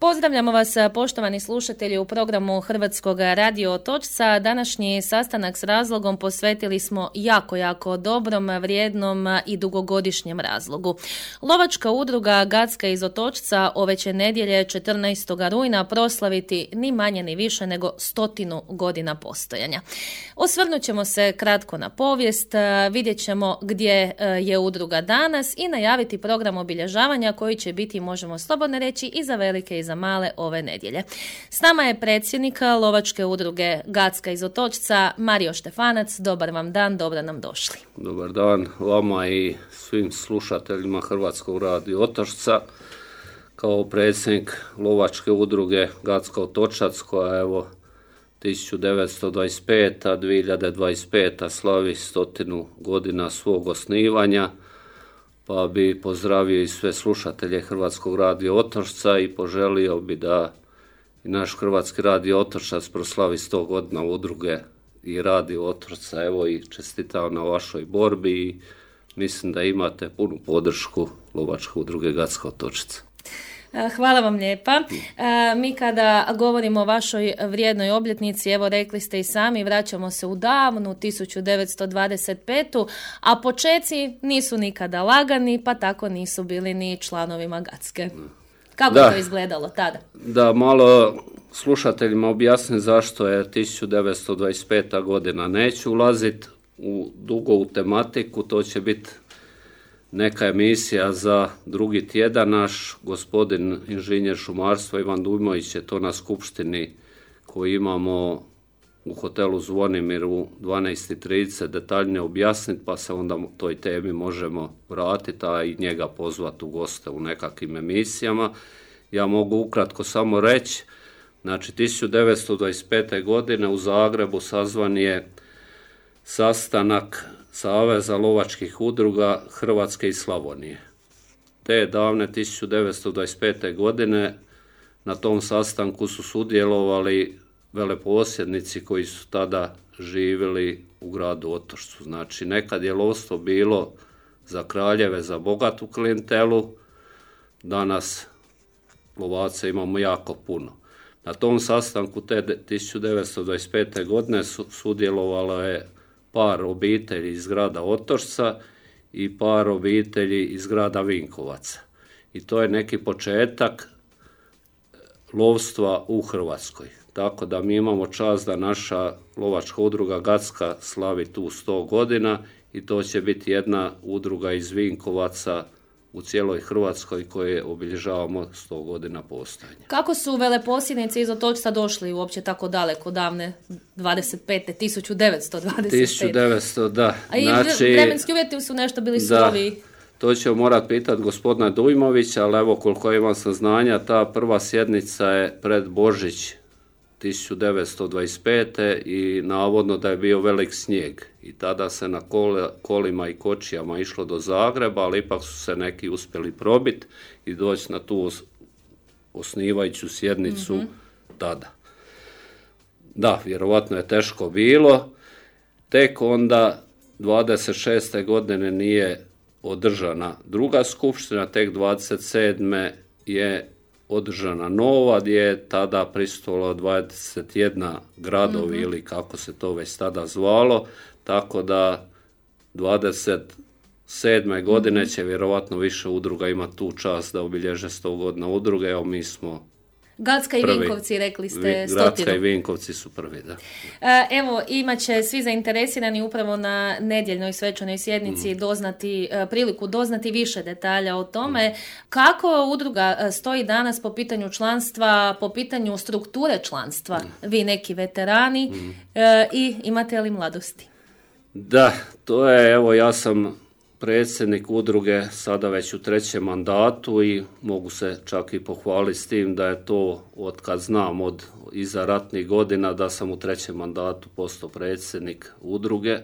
Pozdravljamo vas, poštovani slušatelji, u programu Hrvatskog radio Otočca. Današnji sastanak s razlogom posvetili smo jako dobrom, vrijednom i dugogodišnjem razlogu. Lovačka udruga Gacka iz Otočca ove će nedjelje 14. rujna proslaviti ni manje ni više nego 100 godina postojanja. Osvrnut ćemo se kratko na povijest, vidjet ćemo gdje je udruga danas i najaviti program obilježavanja koji će biti, možemo slobodno reći, i za velike i za male ove nedjelje. S nama je predsjednik Lovačke udruge Gacka iz Otočca, Mario Štefanac. Dobar vam dan, dobro nam došli. Dobar dan vama i svim slušateljima Hrvatskog radio Otočca. Kao predsjednik Lovačke udruge Gacka Otočac, koja evo 1925. 2025. slavi 100 godina svog osnivanja, pa bi pozdravio i sve slušatelje Hrvatskog radio Otočca i poželio bi da i naš Hrvatski radio Otočac proslavi 100 godina udruge i radio Otočca. Evo i čestitam na vašoj borbi i mislim da imate punu podršku Lovačke udruge Gacka Otočac. Hvala vam lijepa. Mi kada govorimo o vašoj vrijednoj obljetnici, evo rekli ste i sami, vraćamo se u davnu 1925. A počeci nisu nikada lagani, pa tako nisu bili ni članovima Gacke. Kako je to izgledalo tada? Da, malo slušateljima objasnim zašto je 1925. godina. Neću ulaziti dugo u tematiku, to će biti neka emisija za drugi tjedan. Naš gospodin inženjer šumarstva Ivan Dujmović je to na skupštini koju imamo u hotelu Zvonimir u 12:30 detaljnije objasniti, pa se onda toj temi možemo vratiti, a i njega pozvati u goste u nekakvim emisijama. Ja mogu ukratko samo reći, znači 1925. godine u Zagrebu sazvan je sastanak Saveza lovačkih udruga Hrvatske i Slavonije. Te davne 1925. godine na tom sastanku su sudjelovali veleposjednici koji su tada živjeli u gradu Otočcu. Znači, nekad je lovstvo bilo za kraljeve, za bogatu klijentelu, danas lovaca imamo jako puno. Na tom sastanku te 1925. godine sudjelovalo je par obitelji iz grada Otočca i par obitelji iz grada Vinkovaca. I to je neki početak lovstva u Hrvatskoj. Tako da mi imamo čast da naša lovačka udruga Gacka slavi tu 100 godina i to će biti jedna udruga iz Vinkovaca u cijeloj Hrvatskoj koje obilježavamo 100 godina postojanja. Kako su veleposjednici iz Otočca došli uopće tako daleko, davne 1925. 1900, da. A i vremenski uvjeti su nešto bili surovi. To ćemo morati pitati gospodina Dujmovića, ali evo koliko imam saznanja, ta prva sjednica je pred Božić 1925. i navodno da je bio velik snijeg i tada se na kolima i kočijama išlo do Zagreba, ali ipak su se neki uspjeli probiti i doći na tu osnivajuću sjednicu tada. Da, vjerovatno je teško bilo. Tek onda 26. godine nije održana druga skupština, tek 27. je održana nova, gdje je tada prisustvovalo 21 gradovi ili kako se to već tada zvalo, tako da 27. godine će vjerovatno više udruga imati tu čast da obilježe 100 godina udruge. Evo mi smo Gacka i Vinkovci, rekli ste 100. Gacka i Vinkovci su prvi, da. Evo, imat će svi zainteresirani upravo na nedjeljnoj svečanoj sjednici priliku doznati više detalja o tome. Kako udruga stoji danas po pitanju članstva, po pitanju strukture članstva? Vi neki veterani i imate li mladosti? Da, to je, evo ja sam predsjednik udruge sada već u 3. mandatu i mogu se čak i pohvaliti s tim da je to od kad znam od iza ratnih godina da sam u 3. mandatu postao predsjednik udruge.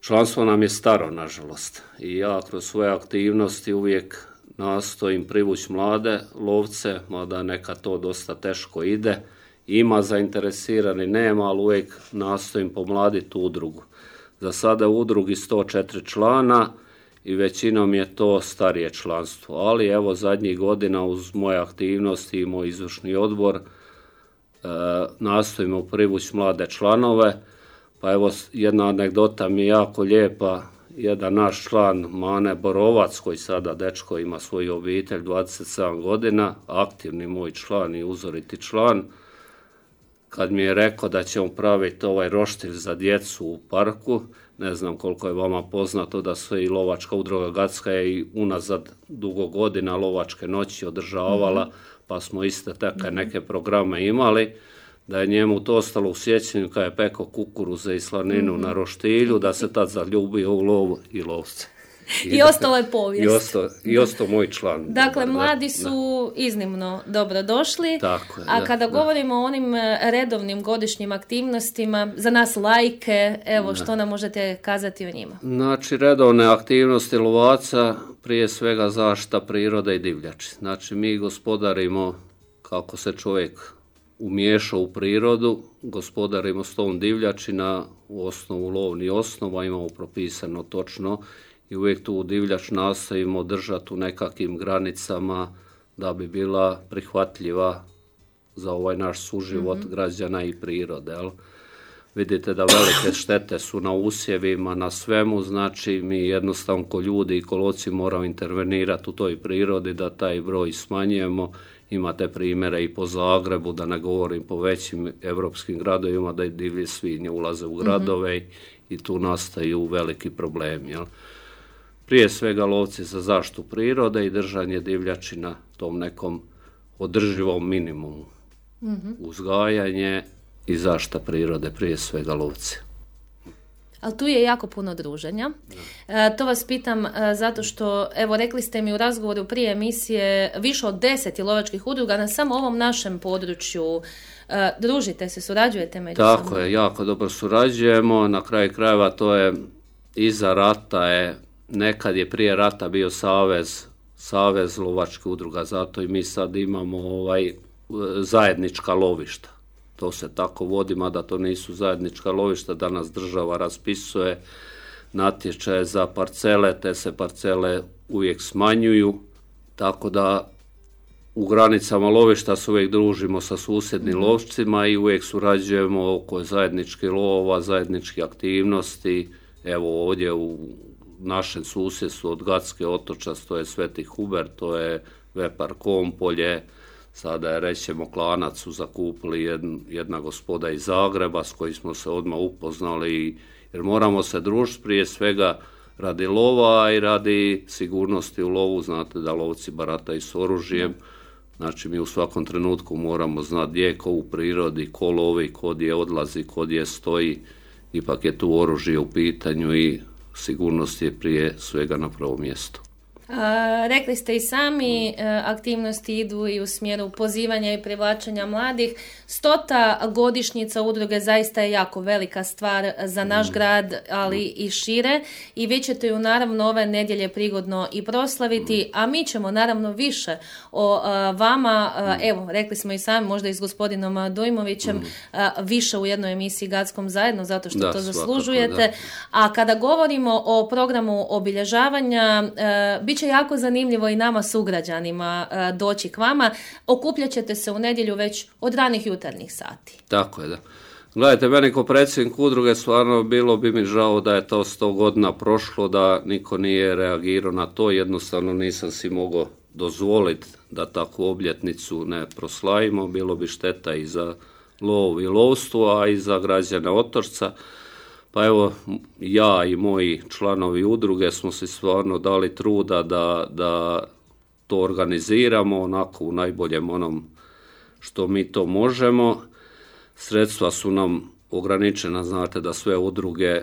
Članstvo nam je staro, nažalost, i ja kroz svoje aktivnosti uvijek nastojim privući mlade lovce, mada neka to dosta teško ide. Ima zainteresirani, nema, ali uvijek nastojim pomladiti udrugu. Za sada u udrugi 104 člana i većinom je to starije članstvo. Ali evo zadnjih godina uz moje aktivnosti i moj izvršni odbor nastojimo privući mlade članove. Pa evo jedna anegdota mi je jako lijepa. Jedan naš član Mane Borovac, koji sada dečko ima svoju obitelj, 27 godina, aktivni moj član i uzoriti član, kad mi je rekao da ćemo praviti ovaj roštilj za djecu u parku, ne znam koliko je vama poznato da se i lovačka udruga Gacka je i unazad dugo godina lovačke noći održavala, pa smo iste takve neke programe imali, da je njemu to ostalo u sjećanju kad je pekao kukuruze i slaninu na roštilju, da se tad zaljubio u lovu i lovce. I ostalo je povijest. I ostao moj član. Dakle, mladi su iznimno dobro došli. Tako je, a kada govorimo o onim redovnim godišnjim aktivnostima, za nas lajke, evo što nam možete kazati o njima? Znači, redovne aktivnosti lovaca, prije svega zaštita prirode i divljači. Znači, mi gospodarimo kako se čovjek umiješao u prirodu, gospodarimo s tom divljači na osnovu lovnih osnova, imamo propisano točno i uvijek tu divljač nastojimo držati u nekakvim granicama da bi bila prihvatljiva za ovaj naš suživot građana i prirode. Jel? Vidite da velike štete su na usjevima, na svemu, znači mi jednostavno ko ljudi i ko lovci moramo intervenirati u toj prirodi da taj broj smanjujemo. Imate primjere i po Zagrebu, da ne govorim po većim europskim gradovima, da i divlje svinje ulaze u gradove i tu nastaju veliki problemi. Jel? Prije svega lovci za zaštitu prirode i držanje divljači na tom nekom održivom minimumu. Uzgajanje i zaštita prirode, prije svega lovci. Ali tu je jako puno druženja. To vas pitam zato što, evo, rekli ste mi u razgovoru prije emisije više od 10 lovačkih udruga na samo ovom našem području. Družite se, surađujete međusobno? Tako je, jako dobro surađujemo. Na kraju krajeva to je iza rata nekad je prije rata bio savez lovačkih udruga, zato i mi sad imamo zajednička lovišta. To se tako vodi, mada to nisu zajednička lovišta, danas država raspisuje natječaje za parcele, te se parcele uvijek smanjuju, tako da u granicama lovišta se uvijek družimo sa susjednim lovcima i uvijek surađujemo oko zajedničkih lova, zajedničkih aktivnosti. Evo ovdje u našem susjedstvu od Gacke otočac, to je Sveti Hubert, to je Vepar Kompolje, sada je, rećemo, Klanac su zakupili jedna gospoda iz Zagreba s kojim smo se odmah upoznali, jer moramo se družiti prije svega radi lova i radi sigurnosti u lovu. Znate da lovci barataju s oružjem, znači mi u svakom trenutku moramo znati gdje je ko u prirodi, ko lovi, ko gdje odlazi, ko gdje stoji, ipak je tu oružje u pitanju i sigurnost je prije svega na prvom mjestu. Rekli ste i sami, aktivnosti idu i u smjeru pozivanja i privlačenja mladih. 100. godišnjica udruge zaista je jako velika stvar za naš grad, ali i šire, i vi ćete ju naravno ove nedjelje prigodno i proslaviti, a mi ćemo naravno više o vama, evo, rekli smo i sami, možda i s gospodinom Dujmovićem, više u jednoj emisiji Gackom zajedno, zato što to zaslužujete. Svakako, a kada govorimo o programu obilježavanja, bit će jako zanimljivo i nama sugrađanima doći k vama. Okupljat ćete se u nedjelju već od ranih jutarnjih sati. Tako je, da. Gledajte, meni kao predsjednik udruge stvarno bilo bi mi žao da je to 100 godina prošlo, da niko nije reagirao na to. Jednostavno nisam si mogao dozvoliti da takvu obljetnicu ne proslavimo. Bilo bi šteta i za lov i lovstvo, a i za građane Otočca. Pa evo, ja i moji članovi udruge smo si stvarno dali truda da to organiziramo onako u najboljem onom što mi to možemo. Sredstva su nam ograničena, znate da sve udruge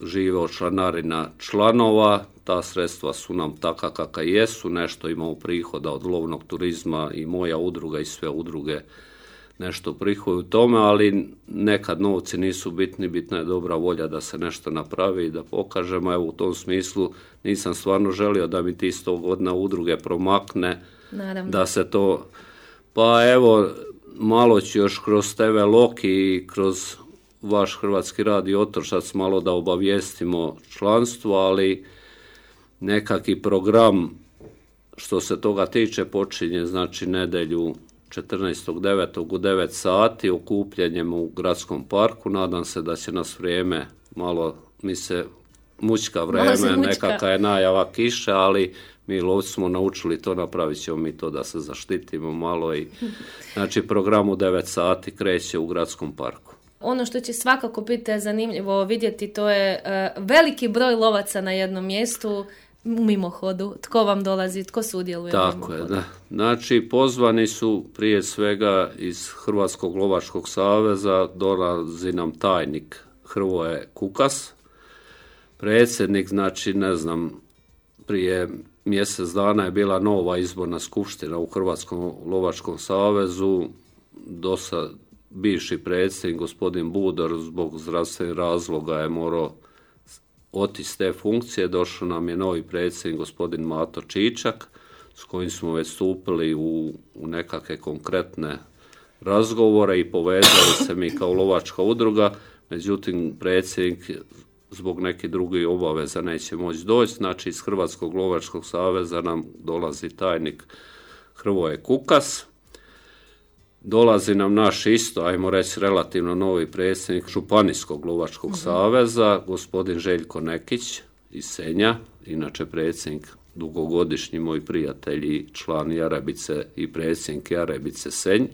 žive od članarina članova, ta sredstva su nam taka kakva jesu, nešto imamo prihoda od lovnog turizma i moja udruga i sve udruge nešto prihoduju tome, ali nekad novci nisu bitni, bitna je dobra volja da se nešto napravi i da pokažemo. Evo u tom smislu nisam stvarno želio da mi ti 100 godina udruge promakne. Naravno. Da se to, pa evo malo ću još kroz TV Loki i kroz vaš Hrvatski radio Otočac malo da obavijestimo članstvo, ali nekaki program što se toga tiče počinje, znači nedjelju 14.9. u 9 sati okupljanjem u gradskom parku. Nadam se da će nas vrijeme malo, mi se mućka vrijeme, nekakva je najava kiše, ali mi lovci smo naučili to, napravit ćemo mi to da se zaštitimo malo i znači program u 9 sati kreće u gradskom parku. Ono što će svakako biti zanimljivo vidjeti, to je veliki broj lovaca na jednom mjestu u mimohodu. Tko vam dolazi, tko sudjeluje u mimohodu? Tako je, da. Znači, pozvani su prije svega iz Hrvatskog lovačkog saveza, dolazi nam tajnik Hrvoje Kukas, predsjednik, znači, ne znam, prije mjesec dana je bila nova izborna skupština u Hrvatskom lovačkom savezu, dosad bivši predsjednik gospodin Budor zbog zdravstvenih razloga je morao otići s te funkcije, došao nam je novi predsjednik gospodin Mato Čičak s kojim smo već stupili u nekakve konkretne razgovore i povezali se mi kao lovačka udruga, međutim predsjednik zbog nekih drugih obaveza neće moći doći, znači iz Hrvatskog lovačkog saveza nam dolazi tajnik Hrvoje Kukas. Dolazi nam naš isto, ajmo reći, relativno novi predsjednik Županijskog lovačkog saveza, gospodin Željko Nekić iz Senja, inače predsjednik dugogodišnji moj prijatelj i član Jarebice i predsjednik Jarebice Senj,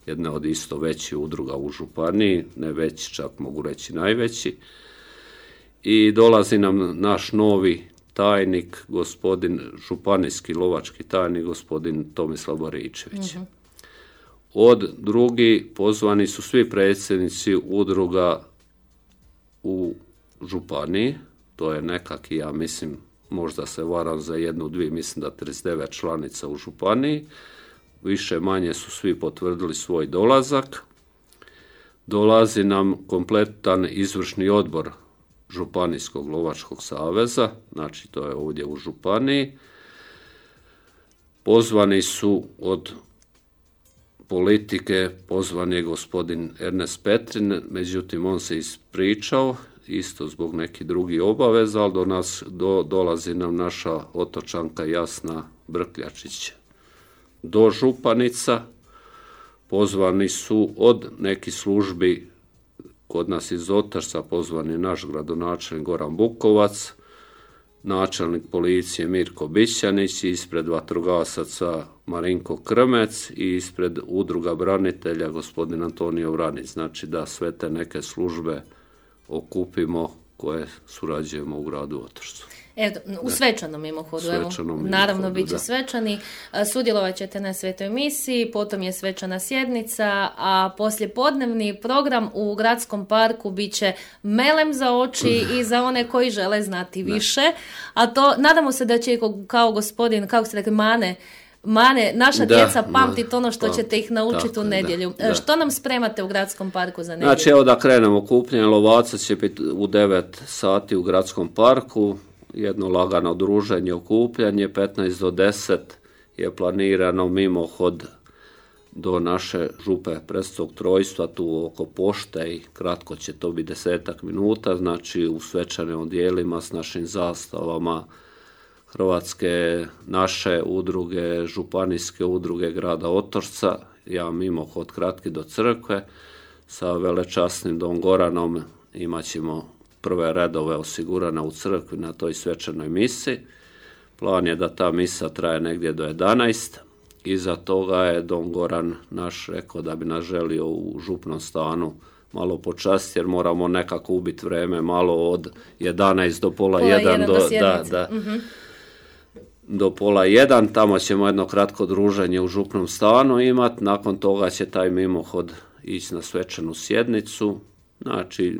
jedna od isto većih udruga u županiji, ne veći, čak mogu reći najveći. I dolazi nam naš novi tajnik, gospodin županijski lovački tajnik, gospodin Tomislav Boričević. Od drugi pozvani su svi predsjednici udruga u županiji, to je nekaki, ja mislim, možda se varam za 1-2, mislim da 39 članica u županiji, više manje su svi potvrdili svoj dolazak. Dolazi nam kompletan izvršni odbor Županijskog lovačkog saveza, znači to je ovdje u županiji. Pozvani su od politike, pozvan je gospodin Ernest Petrin, međutim on se ispričao, isto zbog nekih drugih obaveza, ali dolazi nam naša otočanka Jasna Brkljačić dožupanica. Pozvani su od nekih službi, kod nas iz Otočca pozvan je naš gradonačelnik Goran Bukovac, načelnik policije Mirko Bićanić, ispred vatrogasaca Marinko Krmec i ispred udruga branitelja gospodin Antonio Vranić. Znači da sve te neke službe okupimo koje surađujemo u gradu Otočcu. Evo, u svečanom mimohodu, naravno bit će svečani, sudjelovat ćete na svetoj misiji, potom je svečana sjednica, a poslijepodnevni program u gradskom parku bit će melem za oči i za one koji žele znati više, a to nadamo se da će kao gospodin, kako ste rekli, Mane, naša djeca pamtiti ono što ćete ih naučiti u nedjelju. Da. Što nam spremate u gradskom parku za nedjelju? Znači, evo da krenemo, okupljanje lovaca će biti u 9 sati u gradskom parku, jedno lagano druženje, okupljanje, 15 do 10 je planirano mimohod do naše župe Prestog trojstva, tu oko pošte i kratko će to biti 10 minuta, znači u svečanim odjelima s našim zastavama Hrvatske naše udruge, županijske udruge grada Otočca, ja mimohod kratki do crkve, sa velečasnim Don Goranom imat ćemo prve redove osigurane u crkvi na toj svečanoj misi. Plan je da ta misa traje negdje do 11. Iza toga je Don Goran naš rekao da bi nas želio u župnom stanu malo počastiti, jer moramo nekako ubiti vreme malo od 11 do pola 1 do pola 1. Tamo ćemo jedno kratko druženje u župnom stanu imati. Nakon toga će taj mimohod ići na svečanu sjednicu. Znači,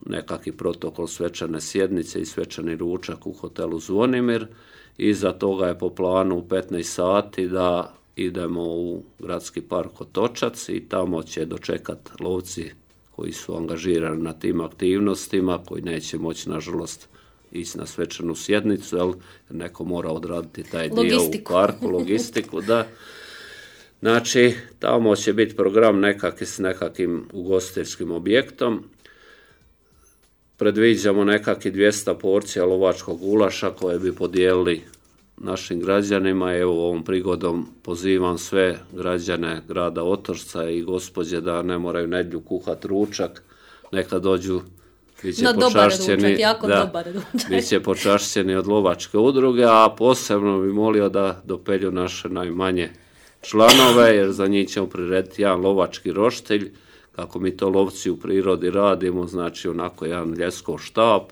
nekakvi protokol svečane sjednice i svečani ručak u hotelu Zvonimir. Iza toga je po planu u 15 sati da idemo u gradski park Otočac i tamo će dočekati lovci koji su angažirani na tim aktivnostima, koji neće moći, nažalost, ići na svečanu sjednicu, jer neko mora odraditi taj dio u parku, logistiku, da. Znači, tamo će biti program s nekakvim ugostiteljskim objektom. predviđamo nekakvih 200 porcija lovačkog gulaša koje bi podijelili našim građanima. Evo ovom prigodom pozivam sve građane grada Otočca i gospođe da ne moraju nedjelju kuhati ručak, neka dođu, biće počašćeni od lovačke udruge, a posebno bi molio da dopelju naše najmanje članove, jer za njih ćemo prirediti jedan lovački roštilj, kako mi to lovci u prirodi radimo, znači onako jedan ljeskov štap,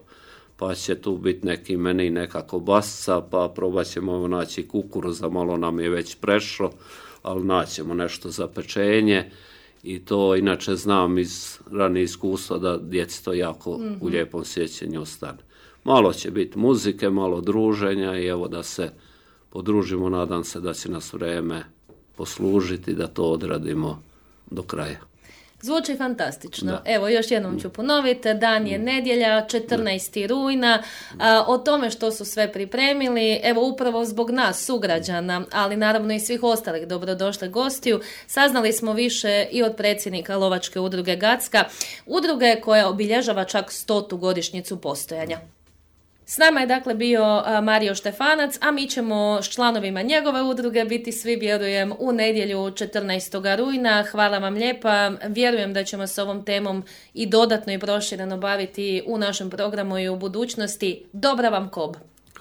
pa će tu biti neki meni, neka kobasica, pa probat ćemo naći kukuruza, malo nam je već prešlo, ali naćemo nešto za pečenje i to inače znam iz ranije iskustva da djeci to jako u lijepom sjećanju ostane. Malo će biti muzike, malo druženja i evo da se podružimo, nadam se da će nas vrijeme poslužiti da to odradimo do kraja. Zvuči fantastično. Da. Evo, još jednom ću ponoviti, dan je nedjelja, 14. rujna, o tome što su sve pripremili, evo upravo zbog nas, sugrađana, ali naravno i svih ostalih dobrodošle gostiju, saznali smo više i od predsjednika Lovačke udruge Gacka, udruge koja obilježava čak 100. godišnjicu postojanja. S nama je dakle bio Mario Štefanac, a mi ćemo s članovima njegove udruge biti svi, vjerujem, u nedjelju 14. rujna. Hvala vam lijepa. Vjerujem da ćemo s ovom temom i dodatno i prošireno baviti u našem programu i u budućnosti. Dobra vam kob.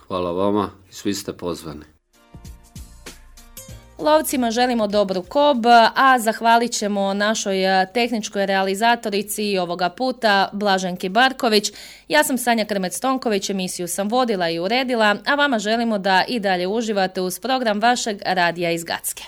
Hvala vama, svi ste pozvani. Lovcima želimo dobru kob, a zahvalit ćemo našoj tehničkoj realizatorici ovoga puta, Blaženki Barković. Ja sam Sanja Krmec-Tonković, emisiju sam vodila i uredila, a vama želimo da i dalje uživate uz program vašeg radija iz Gacke.